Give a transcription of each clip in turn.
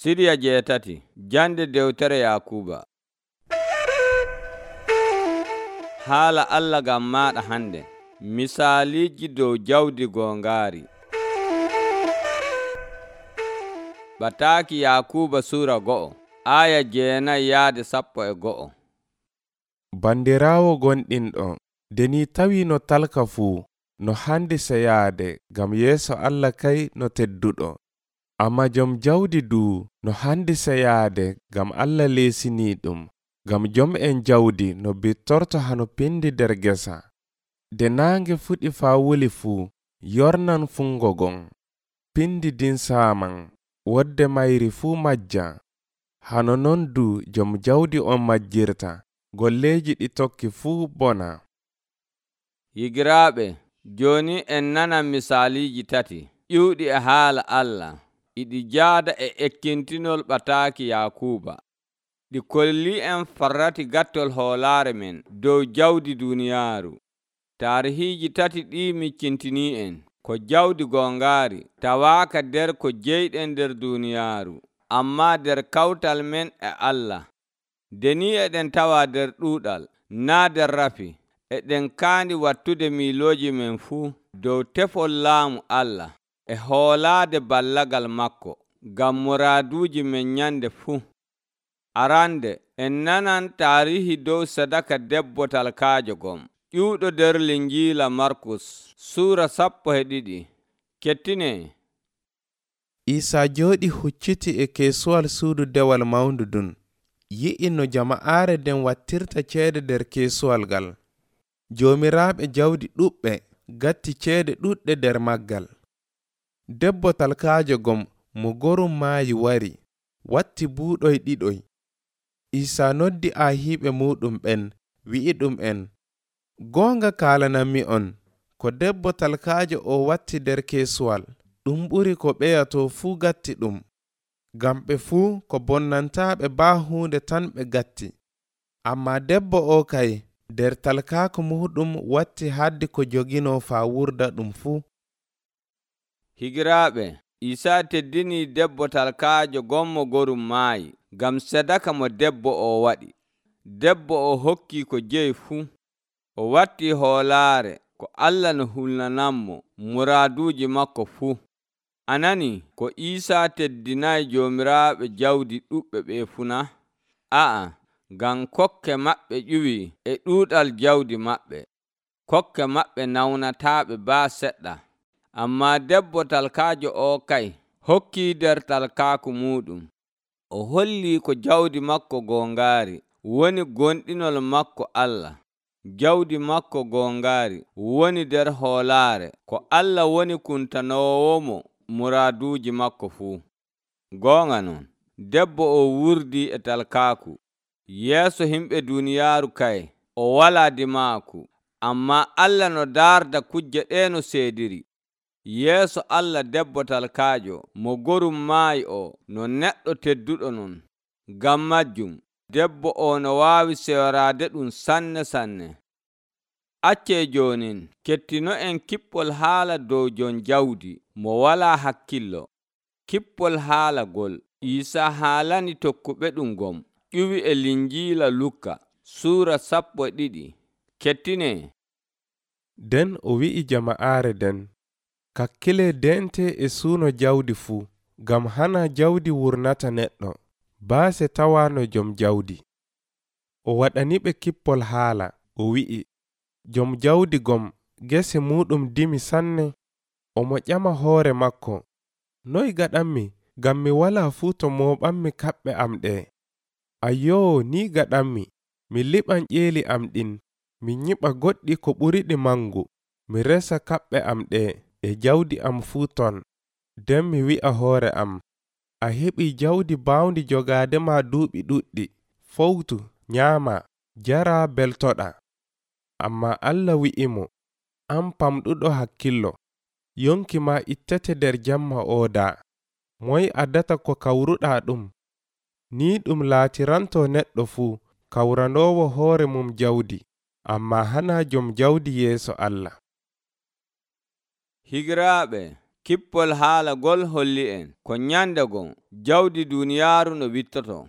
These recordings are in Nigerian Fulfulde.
Siriya jeetati jande dewtere Yakuba. Haala Allah gam maɗa hande. Misaaliji dow jawdi gongaari. Bataaki Yakuba sura 1 aya 9 yaade 11. Bandiraawo gonɗinɗo, deni tawi no talka fuu, no handi seyaade gam yeeso Allah kay no tedduɗo. Amma jom jawdi duu no handi seyaade gam Allah leesini ɗum, gam jom'en jawdi no bittorto hano pindi der gesa. De naange fuɗi faa wuli fuu, yornan fungo gon. Pindi din saaman, wodde mayri fuu majja. Hano non du jom jawdi on majjirta, golleji ɗi tokki fuu bona. Higiraaɓe, joni en nana misaaliji tati ƴiwɗi e haala Allah. Iɗi jaada e ekkintinol bataaki Yakuba. Ɗi kolli en farrati gattol hoolaare men dow jawdi duniyaaru. Taarihiiji tati ɗi miccintini en ko jawdi gongaari tawaaka der ko jeyɗen der duniyaaru, amma der kawtal men e Allah. Deni eɗen tawa der ɗuuɗal, naa der rafi, eɗen kaandi wattude miilooji men fuu dow tefol laamu Allah e hoolaade ballagal makko gam muraaduuji men nyande fuu. Arande en nanan taarihi dow sadaka debbo talkaajo gom ƴiwɗo der linjiila Markus sura 12. Kettine. Isa jooɗi hucciti e keesuwal suudu dewal mawndu dun. Yi'i no jama'aare den wattirta ceede der keesuwal gal. Joomiraaɓe jawdi ɗuɓɓe gatti ceede ɗuɗɗe der maggal. Debbo talkaajo gom mo gorum maayi wari, watti buuɗoy ɗiɗoy. Isa noddi aahiiɓe muɗum ɓen, wi'i ɗum en, goonga kaalananmi on, ko debbo talkaajo o watti der keesuwal, ɗum ɓuri ko ɓeyato fuu gatti ɗum. Gam ɓe fuu ko bonnantaaɓe baa huunde tan ɓe gatti. Amma debbo o kay, der talkaako muɗum watti haddi ko jogino faa wurda ɗum fuu. Higiraaɓe, Isa teddini debbo talkaajo gommo gorum maayi gam sadaka mo debbo o waɗi. Debbo o hokki ko jeyi fuu. O watti hoolaare ko Allah no hulnanammo muraaduuji makko fuu. Anani ko Isa teddinayi joomiraaɓe jawdi ɗuɓɓe ɓe funa? A'a, gam kokke maɓɓe ƴuwi e ɗuuɗal jawdi maɓɓe. Kokke maɓɓe nawnataaɓe baa seɗɗa. Amma debbo talkaajo o kay hokki der talkaaku muɗum. O holli ko jawdi makko gongaari woni gonɗinol makko Allah. Jawdi makko gongaari woni der hoolaare ko Allah woni kuntanowomo muraaduuji makko fuu. Goonga non, debbo o wurdi e talkaaku. Yeeso himɓe duniyaaru kay o walaa dimaaku, amma Allah no daarda kujje ɗe no seediri. Yeeso Allah debbo talkaajo mo gorum maayi o no neɗɗo tedduɗo non. Gam majjum, debbo o no waawi sewraade ɗum sanne sanne. Accee jonin kettino en kippol haala dow jon jawdi mo walaa hakkillo. Kippol haala gol Isa haalani tokkuɓe ɗum gom ƴuwi e linjiila Lukka sura 12. Kettine. Den o wi'i jama'aare den, kakkile dente e suuno jawdi fuu, gam hana jawdi wurnata neɗɗo, baase tawano jom jawdi. O waɗaniɓe kippol haala, o wi'i, jom jawdi gom gese muɗum dimi sanne. Omo ƴama hoore makko, noy gaɗanmi, gam mi wala fuu to mooɓanmi kaɓɓe am ɗe. Ayyoo, ni gaɗanmi, mi liɓan ƴeeli am ɗin, mi nyiɓa goɗɗi ko ɓuriɗi mangu, mi resa kaɓɓe am ɗe e jawdi am fuu ton. Nden mi wi'a hoore am, a heɓi jawdi baawndi jogaadema duuɓi ɗuɗɗi, fowtu, nyaama, jara, beltoɗa. Amma Allah wi'imo, an pamɗuɗo hakkillo, yonki ma ittete der jamma ooda. Moy addata ko kawruɗa ɗum? Ni ɗum laatiranto neɗɗo fuu kawranoowo hoore mum jawdi, amma hana jom jawdi yeeso Allah. Higiraaɓe, Kippol haalagol holli en ko nyande gon jawdi duniyaaru no wittoto.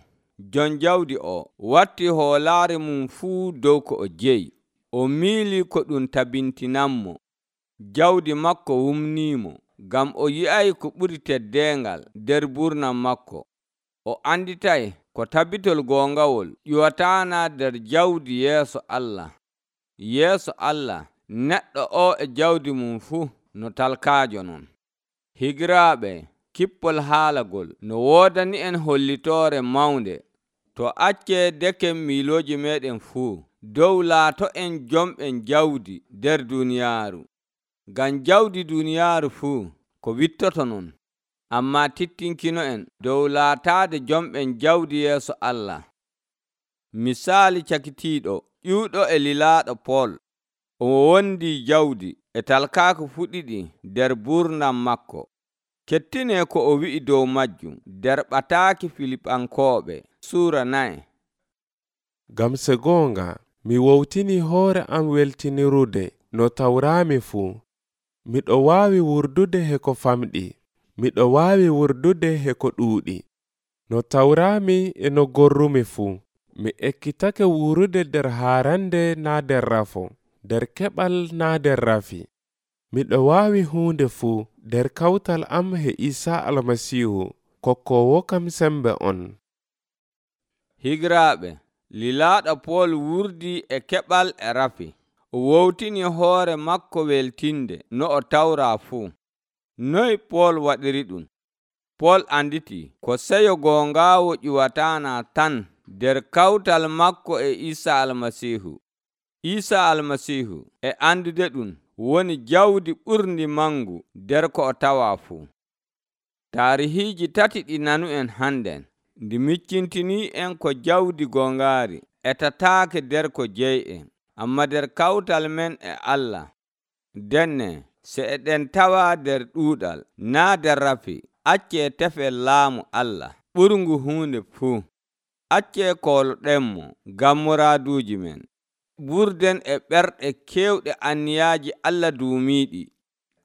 Jon jawdi o watti hoolaare mum fuu dow ko o jeyi. O miili ko ɗum tabintinanmo. Jawdi makko wumniimo, ngam o yi'ay ko ɓuri teddeengal nder burnam makko. O anditay ko tabitol goongawol ƴiwataana nder jawdi yeeso Allah. Yeeso Allah, neɗɗo o e jawdi mum fuu no talkaajo non. Higiraaɓe, kippol haalagol no woodani en hollitoore mawnde. To accee deken miilooji meeɗen fuu dow laato en jomɓen jawdi nder duniyaaru. Ngam jawdi duniyaaru fuu ko wittoto non. Ammaa tittinkino en dow laataade jomɓen jawdi yeeso Allah. Misaali cakitiiɗo ƴiwɗo e lilaaɗo Pool. O wondii jawdi e talkaaku fuɗɗiɗi nder burnam makko. Kettinee ko o wi'i dow majjum nder ɓataaki Filipankooɓe Suura 9. Ngam se goonga, mi wowtini hoore am weltinirude no tawraami fuu. Miɗo waawi wurdude he ko famɗi. Miɗo waawi wurdude he ko ɗuuɗi. No tawraami e no gorrumi fuu. Mi ekkitake wurude nder haarande naa nder rafo, nder keɓal naa nder rafi. Miɗo waawi huunde fuu nder kawtal am he Iisaa Almasiihu, kokkoowo kam sembe on. Higiraaɓe, lilaaɗo Pool wurdii e keɓal e rafi. O wowtini hoore makko weltinde no o tawraa fuu. Noy Pool waɗiri ɗum? Pool anditi ko seyo goongaawo ƴiwataana tan nder kawtal makko e Iisaa Almasiihu. Iisaa Almasiihu e andude ɗum woni jawdi ɓurndi mangu nder ko o tawaa fuu. Taarihiiji tati ɗi nanu en hannden ndi miccintinii en ko jawdi goongaari etataake nder ko jeyi en, amma nder kawtal men e Allah. Denne se eɗen tawa nder ɗuuɗal naa nder rafi, accee tefel laamu Allah ɓurngu huunde fuu. Accee kooloɗenmo ngam muraaduuji men. Ɓurden e ɓerɗe keewɗe anniyaaji Allah duumiiɗi.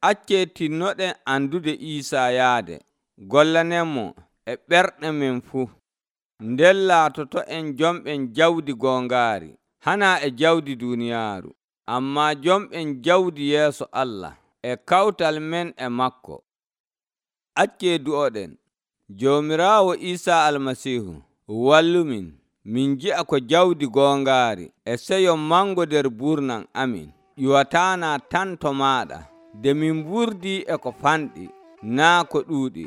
Accee tinnoɗen andude Iisaa yaade. Gollanenmo e ɓerɗe men fuu. Nden laatoto en jomɓen jawdi goongaari, hana e jawdi duniyaaru, ammaa jomɓen jawdi yeeso Allah e kawtal men e makko. Accee du'oɗen. Joomiraawo Iisaa Almasiihu wallumin min ji'a ko jawdi goongaari e seyo mango nder burnam amin ƴiwataana tan to maaɗa, nde min wurdii e ko fanɗi naa ko ɗuuɗi.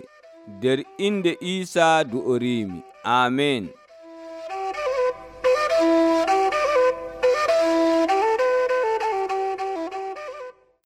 Nder inde Iisaa du'oriimi. Amen.